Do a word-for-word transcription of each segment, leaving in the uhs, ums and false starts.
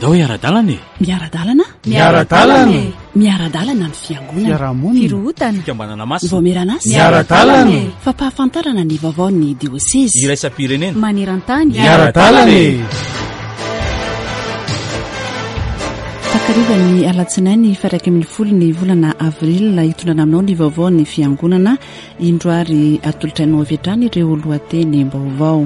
Andao hiara-dalana e! Miara-dalana? Miara-dalana e! Miara-dalana ny fiangonana. Fiarahamonina. Firohotana. Fikambanana masina. Ny vaomieran'asa. Miara-dalana e! Fampahafantarana ny vaovaon'ny diosezy. Iraisam-pirenena. Maneran-tany. Miara-dalana e! Takarivan'ny alatsinainy faha iraika ambin'ny folo ny volana avril hitondrana aminao ny vaovaon'ny fiangonana. Indro ary atolotra anao avy hatrany ireo lohatenim-baovao.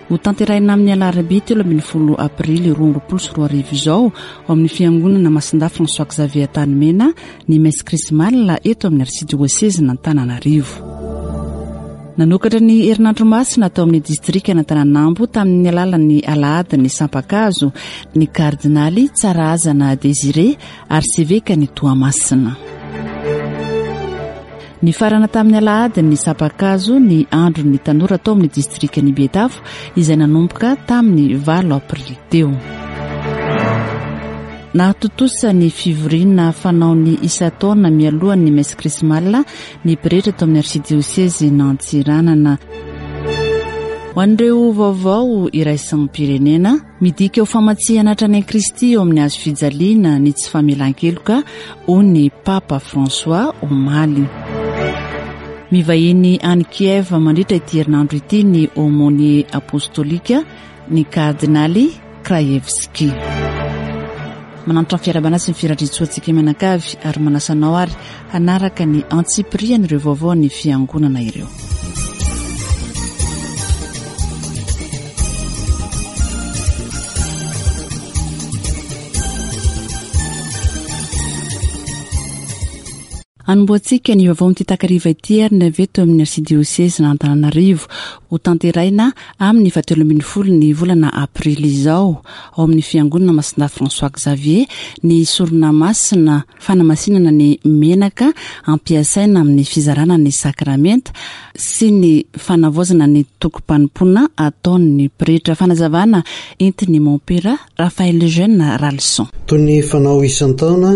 Ho tanterahina amin'ny alarobia telo ambin'ny folo aprily roa amby roapolo sy roa arivo izao ao amin'ny fiangonana Masindahy François Xavier Antanimena ny messe chrismale eto amin'ny arsidiosezin'Antananarivo. Nanokatra ny herinandro masina tao amin'ny distrikan'Antananambo tamin'ny alalan'ny alahadin'ny sampakazo ny kardinaly Tsarahazana Désiré arsevekan'i Toamasina. Nifarana tamin'ny alahadin'ny sampakazo ny andron'ny tanora tao amin'ny distrikan'i Betafo izay nanomboka tamin'ny valo aprily teo. Nahatontosa ny fivoriana fanaony isan-taona mialohan'ny messe chrismale ny pretra tao amin'ny arsidiosezin'Antsiranana. Ho an'ireo vaovao iraisam-pirenena, midika ho famatsihana hatrany an'i Kristy eo amin'ny hazo fijaliana ny tsy famelan-keloka hoy ny Papa François omaly. Mivahiny any Kiev mandritra ity herinandro ity ny aumônier apostolika ny kardinaly Krajewski. Manantitra ny fiarahabana sy ny firariantsoantsika mianakavy ary manasa anao ary hanaraka ny antsipirian'ireo vaovao ny fiangonana ireo. Anombohantsika ny vaovao amin'ity takariva ity ary ny avy eto amin'ny arsidiosezin'Antananarivo. Ho tanterahina amin'ny fahatelo ambin'ny folo ny volana aprily izao ao amin'ny fiangonana Masindahy François Xavier ny sorona masina fanamasinana ny menaka ampiasaina amin'ny fizarana ny sakramenta sy ny fanavaozana ny tokom-panompoana ataon'ny pretra. Fanazavana entin'ny mompera Raphaël Jeune Ralson. Toy ny fanao isan-taona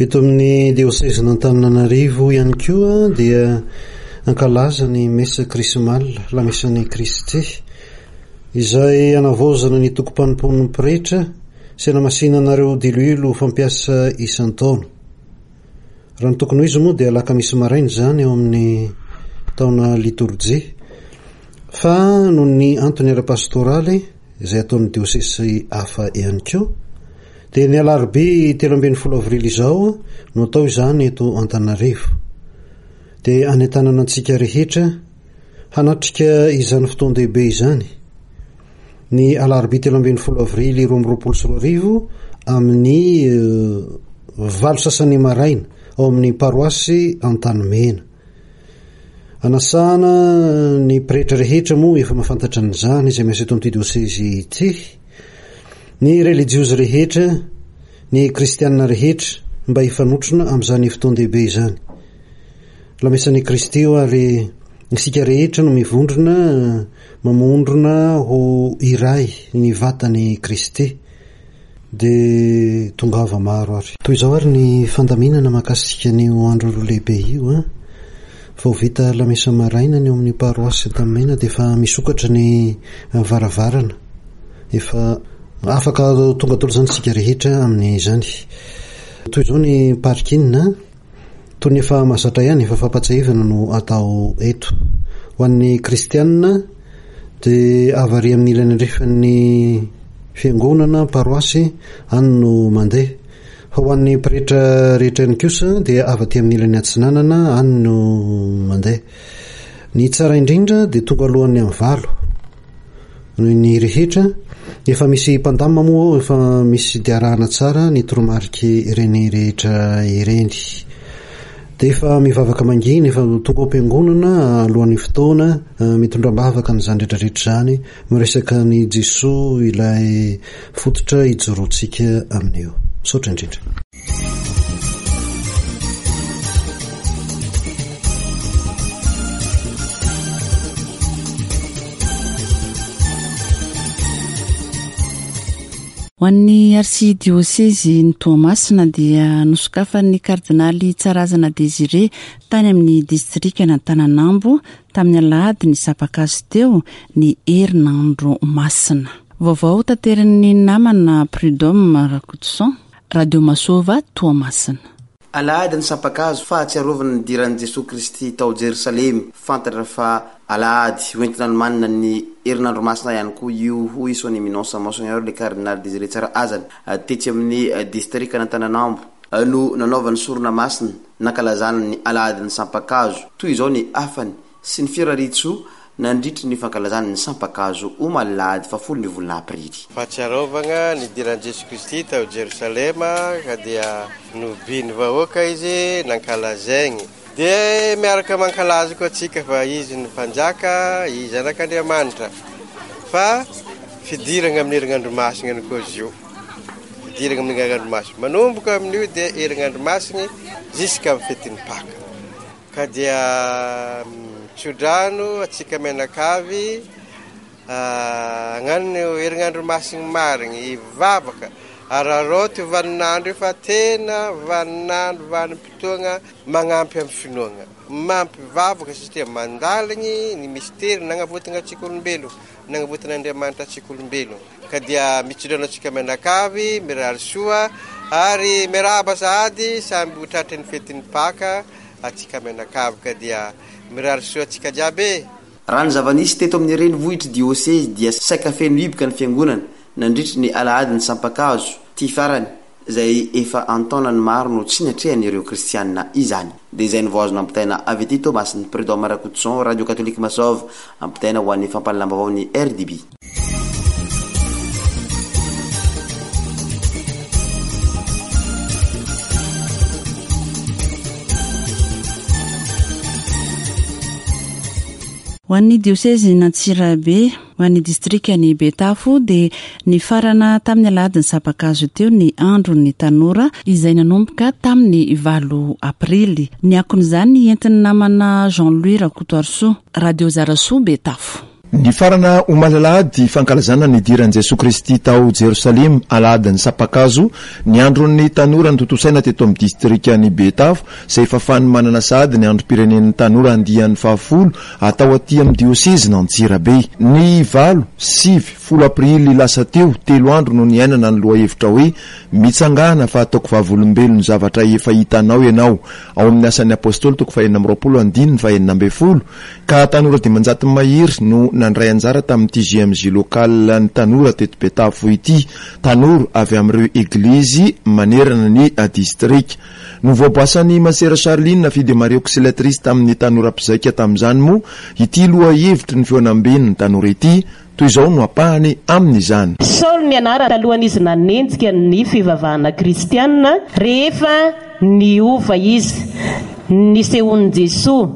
eto amin'ny diosezin'Antananarivo ihany koa dia ankalaza ny messe chrismale, lamesan'i Kristy, izay anavaozana ny tokom-panompoan'ny pretra sy anamasinanareo diloilo fampiasa isan-taona. Raha ny tokony ho izy moa dia alakamisy maraina izany eo amin'ny taona litorjia, fa noho ny antony ara-pastoraly izay ataon'ny diosezy hafa ihany koa dia ny alarobia telo ambin'ny folo avrily izao no atao izany eto Antananarivo. Dia anentanana antsika rehetra hanatrika izany fotoan-dehibe izany ny alarobia telo ambin'ny folo avrily roa amby roapolo sy roa arivo amin'ny valo sasany maraina ao amin'ny paroasy Antanimena. Anasana ny pretra rehetra moa efa mahafantatra an'izany izay miasa eto amin'ity diosezy ity, ny relijiozy rehetra, ny kristianina rehetra mba hifanotrona amin'izany fotoan-dehibe izany. Lamesan'i Kristy io ary isika rehetra no mivondrona, mamondrona ho iray ny vatan'i Kristy. Dia tongava maro ary. Toy izao ary ny fandaminana mahakasika an'io andro roa lehibe io. An? Vao vita lamesa maraina ny eo amin'ny paroasy Antanimena dia efa misokatra ny varavarana. Efa afaka tonga daholo izany isika rehetra amin'izany. Toy izao ny parking, toy ny efa mahazatra ihany, efa fampatsiahivana no atao eto. Ho an'ny kristianina dia avy ary amin'ny ilany andrefan'ny fiangonana paroasy any no mandeha. Fa ho an'ny pretra rehetra ihany kosa dia avy aty amin'ny ilany atsinanana any no mandeha. Ny tsara indrindra dia tonga alohan'ny amin'ny valo ny rehetra. Efa misy mpandamina moa, efa misy diarahana tsara ny toromariky ireny rehetra ireny. Dia efa mivavaka mangina, efa tonga ao am-piangonana alohan'ny fotoana, mitondra am-bavaka an'izany rehetrarehetra izany, miresaka an'i Jesoa ilay fototra ijoroantsika amin'io. Misaotra indrindra. Ho an'ny arsidiosezy ny Toamasina dia nosokafan'ny kardinaly Tsarahazana Désiré tany amin'ny distrikan'Antananambo tamin'ny alahady ny sampakazo teo ny herinandro masina. Vaovao taterin'ny namana Prud'homme Rakotoson, Radio Masova Toamasina. Alahady ny sampan-kazo fahatsiarovana ny nidiran'i Jesoa Kristy tao Jerosalema. Fantatra fa alahady hoentina nomanina ny herinandro masina ihany koa io, hoy Son Eminence Monseigneur le Cardinal Désiré Tsarahazana. Tetsy amin'ny distrikan'Antananambo no nanaovany sorona masina nankalazana ny alahady ny sampan-kazo. Toy izao ny hafany sy ny firariantsoa nandritry ny fankalazana ny sampan-kazo omaly alahady fahafolo ny volana aprily. Fahatsiarovana ny nidiran'i Jesoa Kristy tao Jerosalema ka dia nobiny vahoaka izy nankalazaigny. Dia miaraka mankalaza koa antsika fa izy ny mpanjaka, izy zanak'Andriamanitra. Fa fidirana amin'ny herinandro masina ny koa izy io. Fidirana amin'ny herinandro masina. Manomboka amin'io dia herinandro masina jusqu'à amin'ny fetin'ny Paka. Ka dia tsodrano antsika mianakavy hagnano herinandro masina marigny, hivavaka. Araraoty vaninandro io fa tena vaninandro vanim-potoagna magnampy amin'ny finoagna. Mampivavaka satria mandaligny ny mistery nagnavotana antsika olombelo, nagnavotan'Andriamanitra antsika olombelo. Ka dia mitsodrano antsika mianakavy, mirary soa ary miarahaba sahady samby ho tratry ny fetin'ny Paka antsika mianakavy, ka dia mirary soa antsika jiaby. Raha ny zava-nisy teto amin'ny renivohitry diosezy dia saika feno hiboka ny fiangonana nandritry ny alahady ny sampan-kazo ty farany izay efa an-taonany maro no tsy natrehan'ireo kristianina izany. Dia izay no vao azo nampitaina avy aty Toamasina. Prud'homme Rakotoson, Radio Catholique Masova, ampitaina ho an'ny fampahalalam-baovao ny R D B. Ho an'ny diosezin'Antsirabe, ho an'ny distrikan'i Betafo dia nifarana tamin'ny alahady ny sampan-kazo teo ny andron'ny tanora izay nanomboka tamin'ny valo aprily. Ny akon'izany entin'ny namana Jean-Louis Rakotoarisoa, Radio Zarasoa Betafo. Nifarana omaly alahady fankalazana ny nidiran'i Jesoa Kristy tao Jerosalema alahady ny sampan-kazo ny andron'ny tanora notontosaina teto amin'ny distrikan'i Betafo izay efa fanomanana sahady ny androm-pirenen'ny tanora andiany fahafolo atao aty amin'ny diosezin'Antsirabe. Ny valo, sivy, folo aprily lasa teo, telo andro no niainana ny lohahevitra hoe mitsangana fa ataoko vavolombelon'ny zavatra efa hitanao ianao ao amin'ny asan'ny apôstôly toko fahenina amby roapolo andininy fahenina ambin'ny folo ka tanora dimanjato mahery no nandray anjara tamin'ity J M J local ny tanora teto Betafo ity, tanora avy amin'ireo eglizy manerana ny distrika. Novoaboasan'i Masera Charline Fide Maria Auxiliatrice tamin'ny tanora mpizaika tamin'izany moa ity lohahevitry ny fihaonamben'ny tanora ity, toy izao no ampahany amin'izany. Saoly ny anarany talohan'izy nanenjika ny fivavahana kristianina rehefa niova izy, nisehoan'i Jesoa,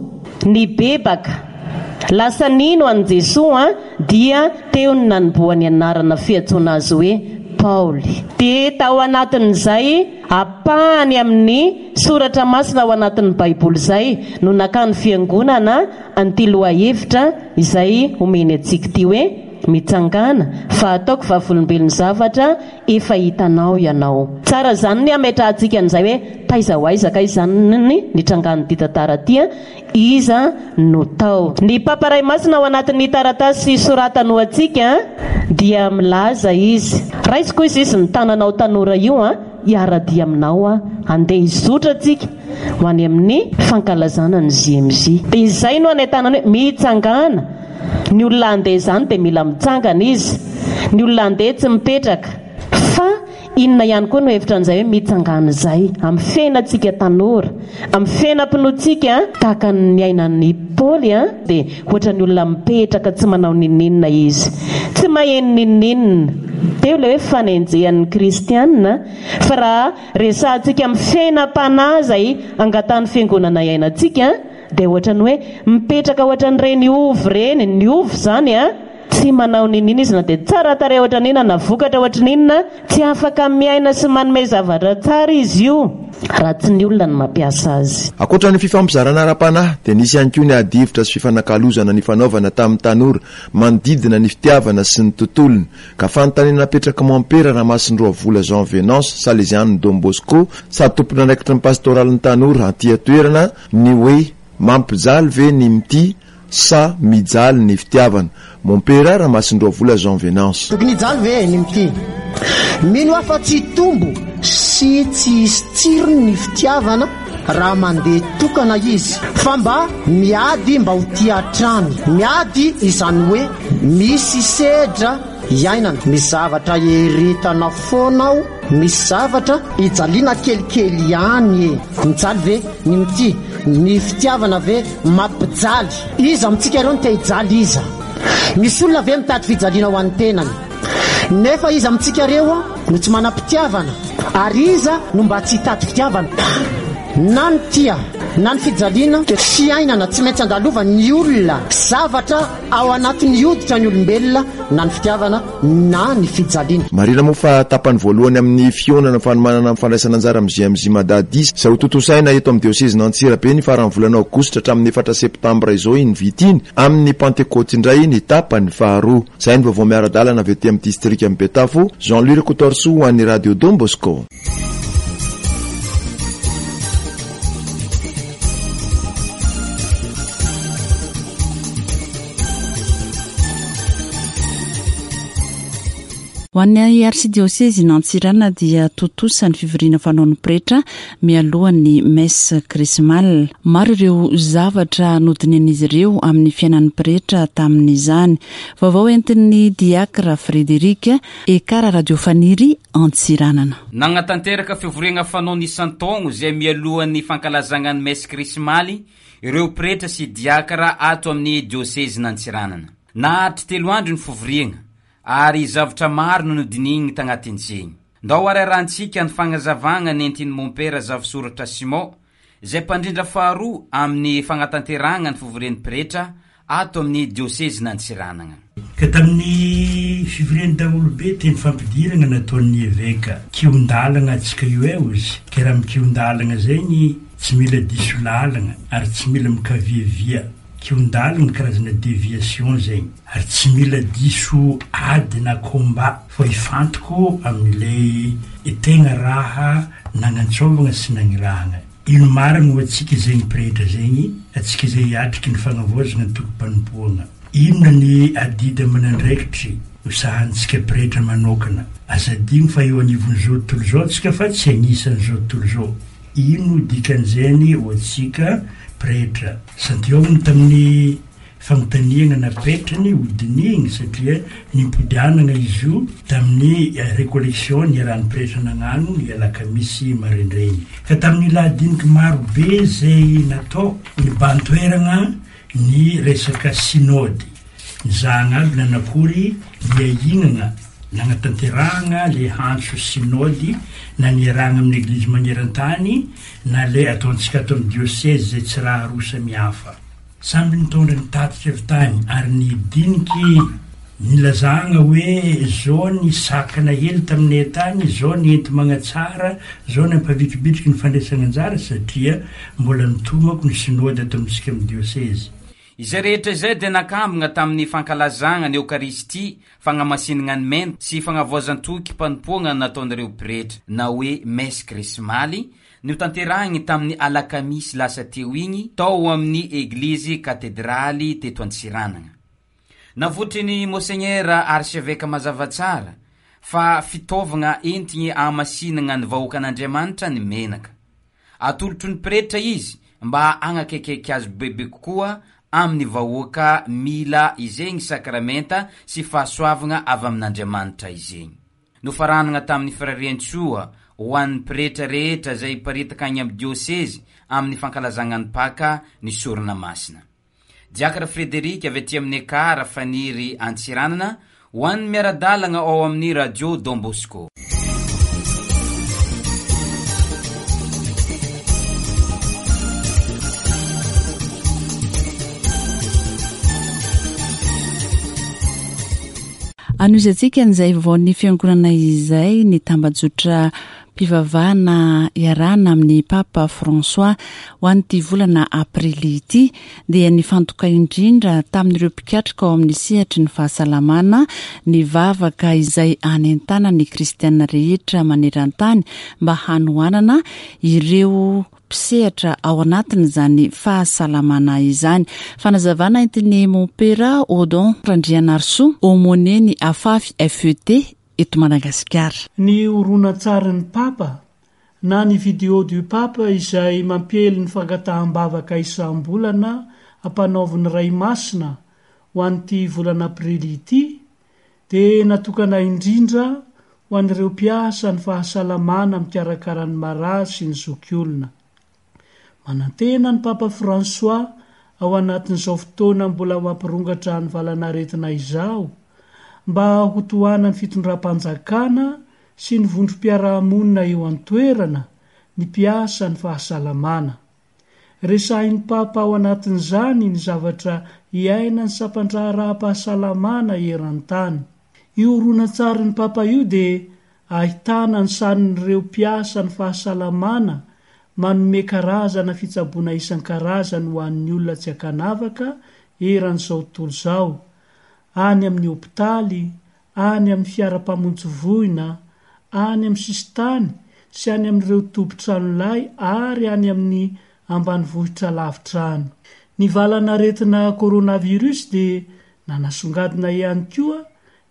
nibebaka, lasa nino an'i Jesoa dia teo ny nanombohany anarana fiantsoana azy hoe Paoly. Dia tao anatin'izay ampahany amin'ny soratra masina ao anatin'ny Baiboly izay no nakany fiangonana an'ity lohahevitra izay omeny antsika ity hoe mitsangana fa ataoko vavolombelon'ny zavatra efa hitanao ianao. Tsara izany ny hametrahantsika an'izay hoe taiza ho aiza ka izany ny nitrangan'ity tantara ity, iza no tao. Ny Papa Ray Masina ao anatin'ny taratasy soratany ho antsika dia milaza izy, raisiko izy izy ny tananao tanora io a, hiara-dia aminao a, andeha hizotra antsika ho any amin'ny fankalazana ny J M J. Dia izay no anentanana hoe mitsangana. Ny olona andeha izany dia mila mitsangana izy. Ny olona andeha tsy mipetraka. Fa inona ihany koa no hevitra an'izay hoe mitsangana izay amin'ny fiainantsika tanora, amin'ny fiainam-pinoantsika, tahaka ny niainan'i Paoly a, dia ohatran'ny olona mipetraka tsy manao n'inon'inona izy, tsy maheno n'inon'inona. Teo ilay hoe fanenjehan'ny kristianina, fa raha resahantsika amin'ny fiainam-panahy izay angatahan'ny fiangonana iainantsika, dia ohatran'ny hoe mipetraka ohatran'ireny ovy ireny. Ny ovy izany a, tsy manao n'inon'inona izy na dia tsara tarehy ohatran'inona na vokatra ohatran'inona, tsy afaka miaina sy manome zavatra tsara izy io raha tsy ny olona no mampiasa azy. Ankoatra ny fifampizarana ara-panahy dia nisy ihany koa ny ady hevitra sy fifanakalozana nifanaovana tamin'ny tanora manodidina ny fitiavana sy ny tontolony. Ka fanontaniana napetraka mompera Ramasindroavola Jean Venance Salesiano Don Bosco sady tompon'andraikitry ny pastoralin'ny tanora aty an-toerana ny hoe mampijaly ve ny mitia Sa mijaly ny fitiavana? Mompera Ramasindroavola Jean Venance. Tokony hijaly ve ny mitia? Mino aho fa tsy hitombo sy tsy hisy tsirony ny fitiavana raha mandeha tokana izy, fa mba miady mba ho tia hatrany. Miady izany hoe misy sedra iainana, misy zavatra eretana foana ao, misy zavatra ijaliana kelikely ihany e. Mijaly ve ny mitia? Ny fitiavana ve mampijaly? Iza amintsika ireo no te hijaly iza? Misy olona ve mitady fijaliana ho an'ny tenany? Nefa iza amintsika ireo no tsy manam-pitiavana? Ary iza no mba tsy hitady fitiavana? Na ny tia na ny fijaliana dia fiainana tsy maintsy andalovan'ny olona. Zavatra ao anatin'ny hoditra ny olombelona, na ny fitiavana na ny fijaliana. Marihina moa fa tapany voalohany amin'ny fihaonana fanomanana amin'ny fandraisana anjara amin'ny J M J Mada dix izay ho tontosaina eto amin'ny diosezin'Antsirabe ny faran'ny volana aogositra hatramin'ny efatra septambra izao iny vita iny amin'ny Pantekoty indray ny tapany faharoa. Izay ny vaovao miara-dalana avy aty amin'ny distrikan'i Betafo. Jean-Louis Rakotoarisoa ho an'ny Radio Don Bosco. Ho an'ny arsidiosezin'Antsirana dia tontosa ny fivoriana fanaon'ny pretra mialohan'ny messe krismale. Maro ireo zavatra nodinihan'izy ireo amin'ny fiainan'ny pretra tamin'izany. Vaovao entin'ny diakra Frédéric Ekara Radio Faniry Antsiranana. Nagnatanteraka fivoriana fanaony isan-taogno izay mialohan'ny fankalazana ny messe krismaly ireo pretra sy diakra ato amin'ny diosezin'Antsiranana. Naharitry telo andro ny fivoriana ary zavatra maro no nodinihiny tagnatin'izegny. Ndao ararahantsika ny fagnazavagna nentin'ny mompera Zafisoratra Simon izay mpandrindra faharoa amin'ny fagnatanterahana ny fivorian'ny pretra ato amin'ny diosezin'Antsiranana. Ka tamin'ny fivorian'ny daholobe teny fampidirana nataon'ny eveka kion-dalana antsika io eo izy. Ka raha mikion-dalana zegny tsy mila diso lalana ary tsy mila mikaviavia. Kion-dalana karazana déviation zegny ary tsy mila diso ady na combat fa ifantoko amin'ilay tegna raha nagnantsovana sy nagnirahana. Ino marina ho antsika zegny pretra zegny, antsika izay hiatriky ny fagnavaozana ny tokom-panompoana. Inona ny adidy aman'andraikitry ho sahanintsika pretra manokana? Aza adino fa eo anivon'izao tontolo izao antsika fa tsy anisan'izao tontolo izao. Ino dikan'izany ho antsika pretra? Santiago tamin'ny fanontaniana napetrany hodinihiny satria nimpodianana izy io tamin'ny récollection niarahan'ny pretra nagnano ny alakamisy maraindrainy. Ka tamin'ny lahadiniky maro be izay natao nibahan-toerana ny resaka synody. Nizahana aby nanakory niainana nagnatanterahana le antso synody na niarahana amin'ny eglizy maneran-tany na le ataontsika ato amin'ny diocèse izay tsy raha roa samihafa. Samby nitondra ny tatitra avy tany ary nidiniky nilazana hoe zao ny sakana hely taminay tany, zao ny enti magnatsara, zao ny ampavitribitriky ny fandraisana anjara satria mbola nitomako ny synody ato amintsika amin'ny diocèse. Izay rehetra izay dia nakambana tamin'ny fankalazana ny Eokaristia, fagnamasinana ny mena sy fagnavoazan-toky mpanompoana nataon'ireo pretra na hoe messe krismaly notanterahiny tamin'ny alakamisy lasa teo igny tao amin'ny eglizy katedraly teto Antsiranana. Navotry ny Monseigneur archevêque mazava tsara fa fitaovana entigny ahamasinana ny vahoakan'Andriamanitra ny menaka. Atolotro ny pretra izy mba hagnakekeky azy bebe kokoa amin'ny vahoaka mila izegny sakramenta sy fahasoavana avy amin'Andriamanitra izegny. Nofaranana tamin'ny firarian-tsoa ho an'ny pretra rehetra izay hiparitaka any amin'ny diosezy amin'ny fankalazana ny Paka ny sorona masina. Diakra Frédéric avy aty amin'ny Ekara Faniry Antsiranana ho an'ny miara-dalana ao amin'ny Radio Don Bosco. Anohizantsika an'izay vaovaon'ny fiangonana izay ny tambajotra Mpivavahana iarahana amin'ny Papa François ho an'ity volana aprily ity dia nifantoka indrindra tamin'ireo mpikatroka ao amin'ny sehatry ny fahasalamana ny vavaka izay anentanana ny kristianina rehetra maneran-tany mba hanohanana ireo mpisehatra ao anatin'izany fahasalamana izany. Fanazavana entin'ny Mompera Odon Randrianarisoa, aumônier ny AFAFI F E T eto Madagasikara. Ny horonantsarin'ny Papa na ny Vidéo du Pape izay mampiely ny fangataham-bavaka isam-bolana ampanaovin'ny Ray Masina ho an'ity volana aprily ity dia natokana indrindra ho an'ireo mpiasa ny fahasalamana mikarakara ny marary sy ny zokiolona. Manantena ny Papa François ao anatin'izao fotoana mbola mampirongatra ny valanaretina izao mba ho tohanan'ny fitondram-panjakana sy ny vondrom-piarahamonina eo an-toerana ny mpiasa ny fahasalamana. Resahin'ny Papa ao anatin'izany ny zavatra iainan'ny sampan-draharaham-pahasalamana eran-tany. Io horonantsarin'ny Papa io dia ahitana ny sarin'ireo mpiasa ny fahasalamana manome karazana fitsaboana isan-karazany ho an'ny olona tsy ankanavaka eran'izao tontolo izao, any amin'ny hopitaly, any amin'ny fiara-mpamonjy voina, any amin'ny sisintany sy any amin'ireo toby tranolay ary any amin'ny ambanivohitra lavitra any. Ny valanaretina coronavirus dia nanasongadina ihany koa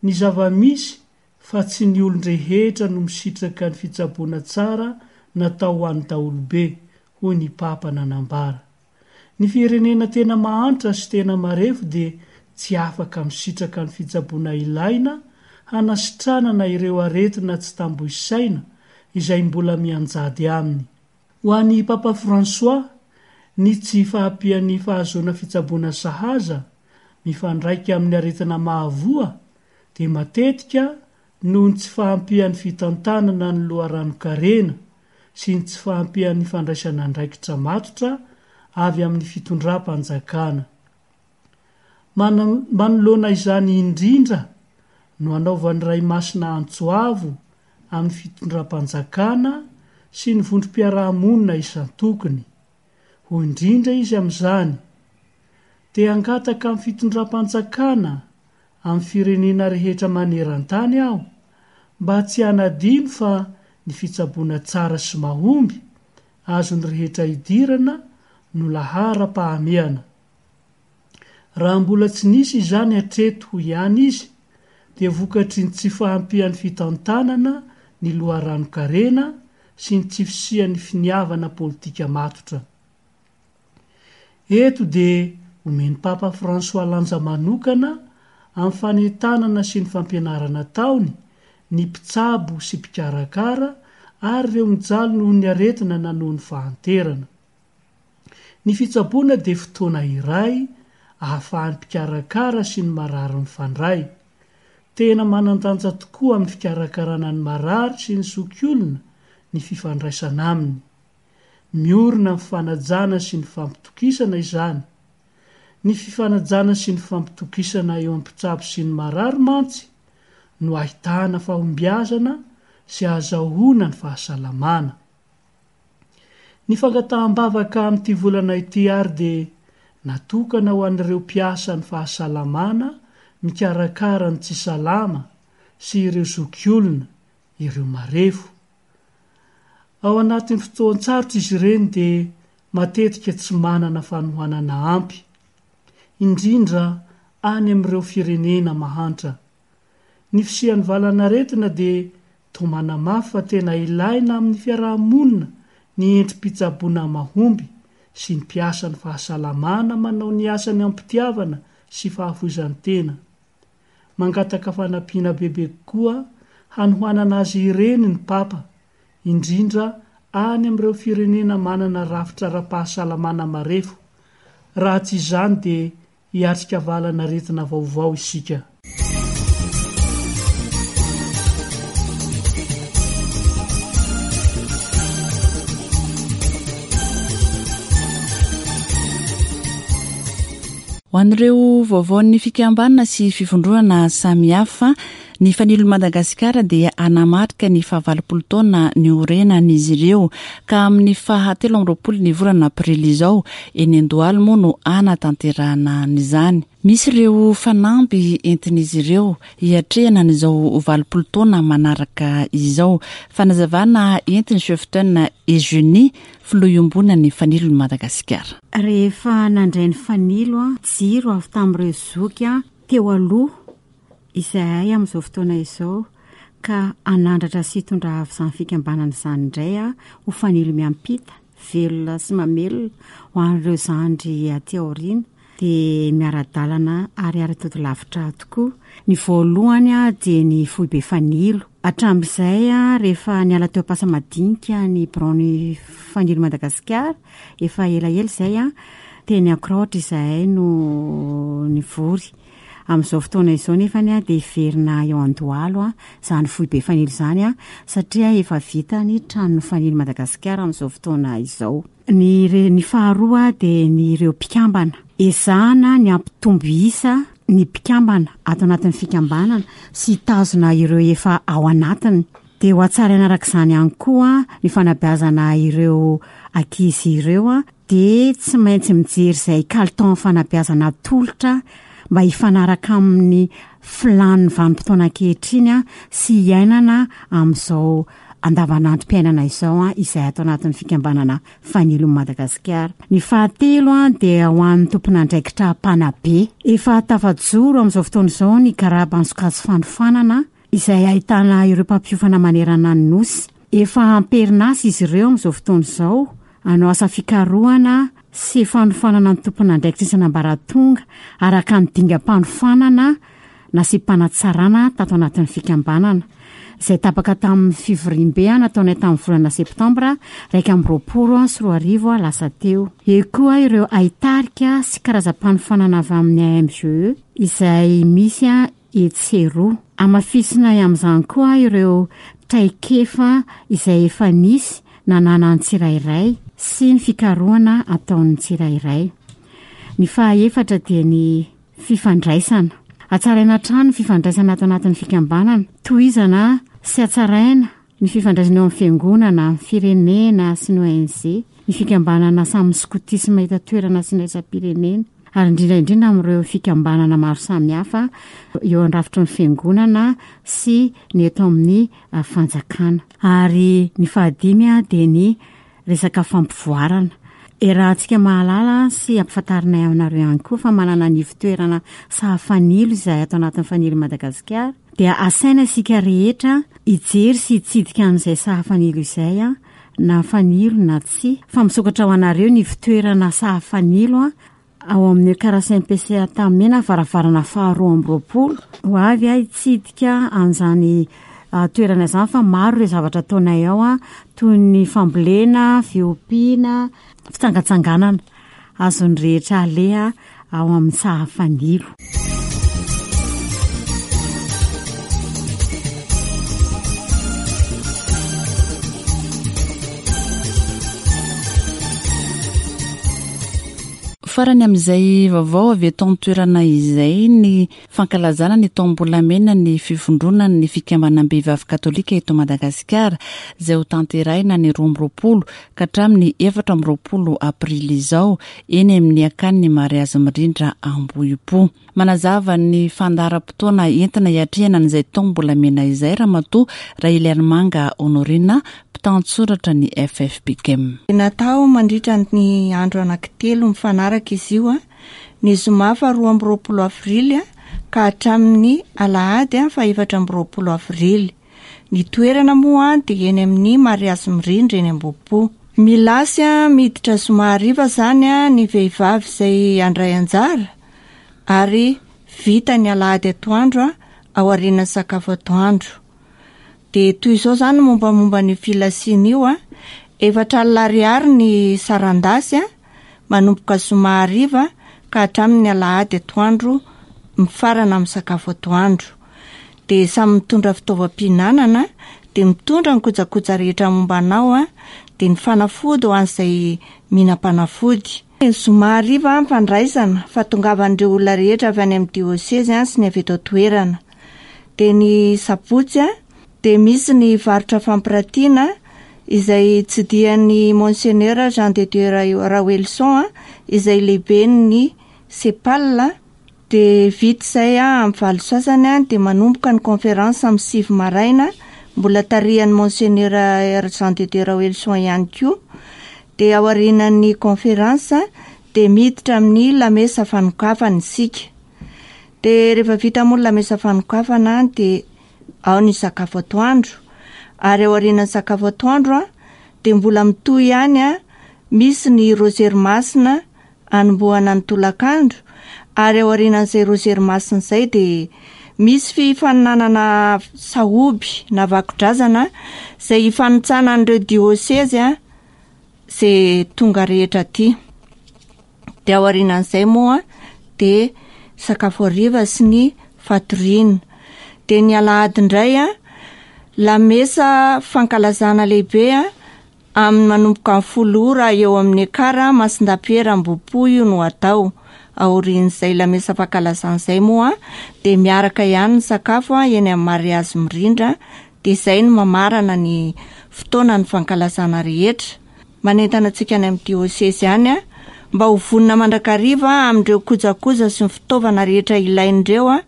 ny zava-misy fa tsy ny olon-drehetra no misitraka ny fitsaboana tsara natao ho an'ny daholobe, hoy ny Papa nanambara. Ny firenena tena mahantra sy tena marefo dia tsy afaka misitraka ny fitsaboana ilaina hanasitranana ireo aretina tsy tambo isaina izay mbola mianjady aminy. Ho an'ny Papa François, ny tsy fahampian'ny fahazoana fitsaboana sahaza mifandraika amin'ny aretina mahavoa dia matetika noho ny tsy fahampian'ny fitantanana ny loharanon-karena sy ny tsy fahampian'ny fandraisana andraikitra matotra avy amin'ny fitondram-panjakana. Manoloana izany indrindra no anaovan'ny Ray Masina antso avo amin'ny fitondram-panjakana sy ny vondrom-piarahamonina isan-tokony. Hoy indrindra izy amin'izany: Te hangataka amin'ny fitondram-panjakana amin'ny firenena rehetra maneran-tany aho mba tsy hanadino fa ny fitsaboana tsara sy mahomby azon'ny rehetra idirana no laharam-pahamehana. Raha mbola tsy nisy izany hatreto, hoy ihany izy, dia vokatry ny tsy fahampian'ny fitantanana ny loharanon-karena sy ny tsy fisian'ny finiavana politika matotra. Eto dia omen'ny Papa François lanja manokana amin'ny fanentanana sy ny fampianarana ataony ny mpitsabo sy mpikarakara ary ireo mijaly noho ny aretina na noho ny fahanterana. Ny fitsaboana dia fotoana iray ahafahan'ny mpikarakara sy ny marary mifandray. Tena manan-danja tokoa amin'ny fikarakarana ny marary sy ny zokiolona ny fifandraisana aminy. Miorina amin'ny fanajana sy ny fampitokisana izany. Ny fifanajana sy ny fampitokisana eo amin'ny mpitsabo sy ny marary mantsy no ahitana fahombiazana sy ahazahoana ny fahasalamana. Ny fangataham-bavaka amin'ity volana ity ary dia natokana ho an'ireo mpiasan'ny fahasalamana mikarakara ny tsy salama sy ireo zokiolona, ireo marefo. Ao anatin'ny fotoan-tsarotra izy ireny dia matetika tsy manana fanohanana ampy, indrindra any amin'ireo firenena mahantra. Ny fisian'ny valanaretina dia toa manamafy fa tena ilaina amin'ny fiarahamonina ny endri-pitsaboana mahomby sy ny mpiasan'ny fahasalamana manao ny asany am-pitiavana sy fahafoizan-tena. Mangataka fanampiana bebe kokoa hanohanana azy ireny ny Papa, indrindra any amin'ireo firenena manana rafitra ara-pahasalamana marefo. Raha tsy izany dia hiatrika valanaretina vaovao isika. Ho an'ireo vaovaon'ny fikambanana sy fivondronana samihafa. Ny Fanilon'i Madagasikara dia hanamarika ny fahavalopolo taona niorenan'izy ireo ka amin'ny faha telo amby roapolo ny volana aprily izao eny Andohalo moa no hanatanterahana an'izany. Misy ireo fanamby entin'izy ireo hiatrehana an'izao valopolo taona manaraka izao. Fanazavana entin'ny Cheftaine Eugénie, filoha iombonan'ny Fanilon'i Madagasikara. Rehefa nandray ny fanilo, jiro avy tamin'ireo zoky teo aloha izahay amin'izao fotoana izao ka hanandratra sy hitondra avo izany fikambanana izany indray ho fanilo miampita, velona sy mamelona ho an'ireo zandry aty aoriana dia miara-dalana ary ara-tody lavitra tokoa. Ny voalohany dia ny foibe fanilo. Hatramin'izay rehefa niala teo Ampasamadinika ny biraon'ny Fanilo Madagasikara, efa elaela izay, teny Ankorahotra izahay no nivory. Amin'izao fotoana izao nefa dia hiverina eo Andohalo izany foibe fanilo izany satria efa vita ny tranon'ny Fanilo Madagasikara amin'izao fotoana izao. Ny re-, ny faharoa dia ny ireo mpikambana. Ezahana ny hampitombo isa ny mpikambana ato anatin'ny fikambanana sy hitazona ireo efa ao anatiny. Dia ho hatsaraina araka izany ihany koa ny fanabeazana ireo ankizy ireo dia tsy maintsy mijery izay kalitaon'ny fanabeazana atolotra mba hifanaraka amin'ny filàn'ny vanim-potoana ankehitriny sy hiainana amin'izao andavanandrom-piainana izao izay ato anatin'ny fikambanana Fanilon'i Madagasikara. Ny fahatelo dia ho an'ny tompon'andraikitra mpanabe. Efa tafajoro amin'izao fotoana izao ny garaban'ny sokajy fanofanana izay ahitana ireo mpampiofana manerana ny nosy. Efa am-perinasa izy ireo amin'izao fotoana izao hanao asa fikarohana sy fanofanana ny tompon'andraikitra isan'ambaratonga araka ny dingam-panofanana nasiam-panatsarana tato anatin'ny fikambanana izay tapaka tamin'ny fivoriambe nataonay tamin'ny volana septambra iraika amby roapolo sy roa arivo lasa teo. Eo koa ireo haitarika sy karazam-panofanana avy amin'ny A M G E izay misy etsy sy eroa. Hamafisinay amin'izany koa ireo traikefa izay efa nisy nananan'ny tsirairay sy ny fikarohana ataon'ny tsirairay. Ny fahaefatra dia ny fifandraisana. Hatsaraina hatrany ny fifandraisana ato anatin'ny fikambanana. Tohizana sy hatsaraina ny fifandraisana eo amin'ny fiangonana, ny firenena sy ny O N G, ny fikambanana samy skotisma eto an-toerana sy ny iraisam-pirenena, ary indrindra indrindra amin'ireo fikambanana maro samihafa eo an-drafitry ny fiangonana sy ny eto amin'ny fanjakana. Ary ny fahadimy dia ny resaka fampivoarana. Iarahantsika mahalala sy ampifantarinay aminareo ihany koa fa manana ny ivon-toerana sahafanilo izay ato anatin'ny Fanilo Madagasikara. Dia asaina isika rehetra hijery sy hitsidika an'izay sahafanilo izay, na fanilo na tsia. Fa misokatra ho anareo ny ivon-toerana sahafanilo ao amin'ny Karasin P C A Tamena, varavarana faharoa amby roapolo. Ho avy aho hitsidika an'izany toerana izany fa maro ireo zavatra ataonay ao, toy ny fambolena, fiompiana, fitsangatsanganana. Azon'ny rehetra aleha ao amin'ny sahafanilo. Farany amin'izay vaovao avy eto an-toerana izay ny fankalazana ny taom-bolamena ny fivondronan'ny fikambanam-behivavy katolika eto Madagasikara izay ho tanterahina ny roa amby roapolo ka hatramin'ny efatra amby roapolo aprily izao eny amin'ny akanin'ny mariazy mirindra Ambohipo. Manazava ny fandaharam-potoana entina hiatrehana an'izay taom-bolamena izay Ramatoa Raheliarimanga Honorina, mpitantsoratra ny F F P G M. Natao mandritra ny andro anankitelo mifanaraka izy io, ny zoma faharoa amby roapolo avrily ka hatramin'ny alahady fahaefatra amby roapolo avrily. Ny toerana moa dia eny amin'ny mariazy mirindra eny Ambohipo. Milasy miditra zoma hariva izany ny vehivavy izay handray anjara ary vita ny alahady atoandro ao aorian'ny sakafo atoandro. Dia toy izao izany mombamomba ny filasiana io, efatra alina ariary ny sarandasy manomboka zoma hariva ka hatramin'ny alahady atoandro mifarana amin'ny sakafo atoandro. Dia samy mitondra fitaovam-pihinanana, dia mitondra ny kojakoja rehetra momba anao, dia ny fanafody ho an'izay mihinam-panafody. Ny zoma hariva ny fandraisana, fahatongavan'ireo olona rehetra avy any amin'ny diosezy sy ny avy eto an-toerana. Dia ny sabotsy dia misy ny varotra fampiratiana izay tsidihan'ny Monseigneur Jean de Dieu Raoelison izay lehiben'ny CEPAL. Dia vita izay amin'ny valo sasany dia manomboka ny conférence amin'ny sivy maraina, mbola tarihan'ny Monseigneur Jean de Dieu Raoelison ihany koa. Dia aorianan'ny conférence dia miditra amin'ny lamesa fanokafana isika. Dia rehefa vita moa ny lamesa fanokafana dia ao ny sakafo atoandro, ary aorianan'ny sakafo atoandro dia mbola mitohy ihany, misy ny rozery masina anombohana ny tolakandro, ary aorianan'izay rozery masina izay dia misy fifaninanana sahoby na vakodrazana izay hifanintsanan'ireo diosezy izay tonga rehetra aty. Dia aorianan'izay moa dia sakafo hariva sy ny fatoriana. Dia ny alahady indray lamesa fankalazana lehibe amin'ny manomboka amin'ny folo ora eo amin'ny Ekara Masindapiera Ambohipo io no atao. Aorian'izay lamesa fankalazana izay moa dia miaraka ihany ny sakafo eny amin'ny mariazy mirindra, dia izay no mamarana ny fotoana ny fankalazana rehetra. Manentana antsika any amin'ny diosezy any mba ho vonona mandrakariva amin'ireo kojakoja sy ny fitaovana rehetra ilain'ireo,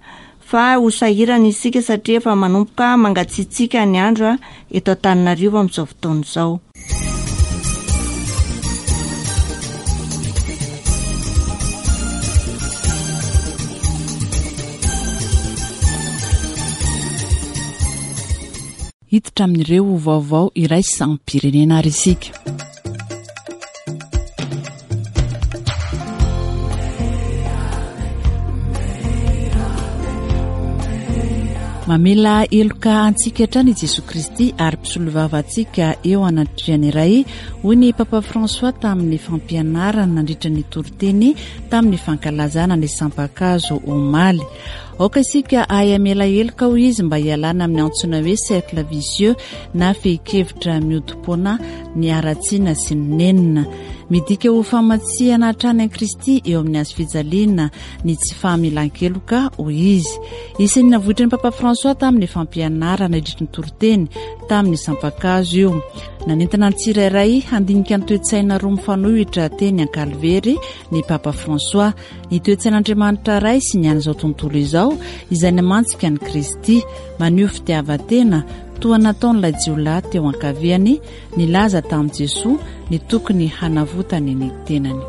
fa ho sahirana isika satria efa manomboka mangatsiatsiaka ny andro eto Antananarivo amin'izao fotoana izao. Hiditra amin'ireo vaovao iraisam-pirenena ary isika. Mamela heloka antsika hatrany i Jesoa Kristy ary mpisolovava antsika eo anatrehan'ny Ray, hoy ny Papa François tamin'ny fampianarana nandritra ny toriteny tamin'ny fankalazana ny sampakazo omaly. Aoka isika hahay hamela heloka, hoy izy, mba hialana amin'ny antsoina hoe cercle vicieux na fehin-kevitra miodimpoana ny haratsiana sy ny nenina. Midika ho famatsihana hatrany an'i Kristy eo amin'ny hazo fijaliana ny tsy fahamelan-keloka, hoy izy. Isan'ny navoitran'ny Papa François tamin'ny fampianarana nandritra ny toriteny tamin'ny sampakazo io. Nanentana ny tsirairay handinika ny toe-tsaina roa mifanohitra teny Ankalvery ny Papa François, ny toe-tsain'Andriamanitra Ray sy ny an'izao tontolo izao izay namantsika an'i Kristy, maneho fitiavan-tena toa nataon'ilay jiolahy teo ankaviany nilaza tamin'i Jesoa ny tokony hanavotany ny tenany.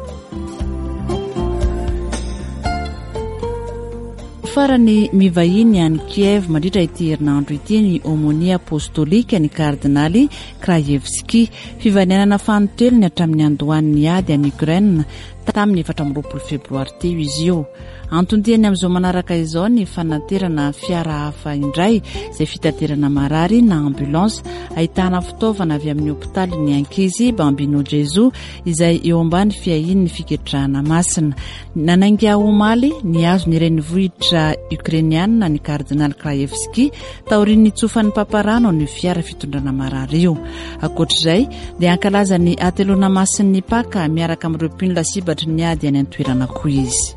Farany mivahiny any Kiev mandritra ity herinandro ity ny Aumônier apostolika ny kardinaly Krajewski. Fivaninanana fanintelony hatramin'ny andohan'ny ady any Ukraine tamin'ny efatra amby roapolo febroary teo izy io. Anton-diany amin'izao manaraka izao ny fanaterana fiara hafa indray izay fitaterana marary na ambulance ahitana fitaovana avy amin'ny hopitaly ny ankizy Bambino Gesù izay eo ambany fiahian'ny fiketrahana masina. Nanainga omaly ny azo ny renivohitra ukrainiana ny kardinaly Krajewski taorian'ny nitsofan'ny paparano ny fiara fitondrana marary io. Ankoatr'izay dia hankalaza ny hateloana masin'ny Paka miaraka amin'ireo mpino lasibatry ny ady any an-toerana koa izy.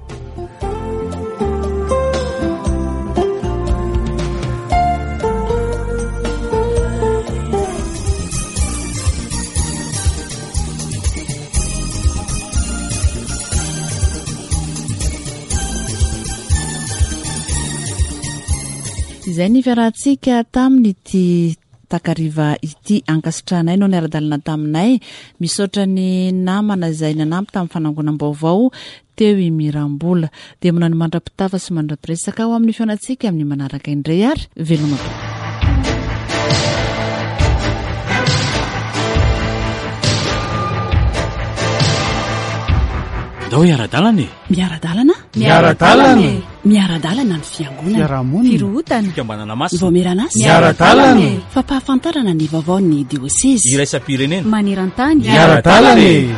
Izay ny fiarahantsika tamin'ity takariva ity. Ankasitrahanay no niara-dalana taminay. Misaotra ny namana izay nanampy tamin'ny fanangonam-baovao teo i Mirambola. Dia manao ny mandra-pitafa sy mandra-piresaka ho amin'ny fihaonantsika amin'ny manaraka indray ary veloma. Ndao hiara-dalana e. Miara-dalana? Miara-dalana e. Miara-dalana ny fiangonana. Fiarahamonina. Firohotana. Fikambanana masina. Vaomieran'asa. Miara-dalana e. Fampahafantarana ny vaovaon'ny diosezy. Iraisam-pirenena. Maneran-tany. Miara-dalana e.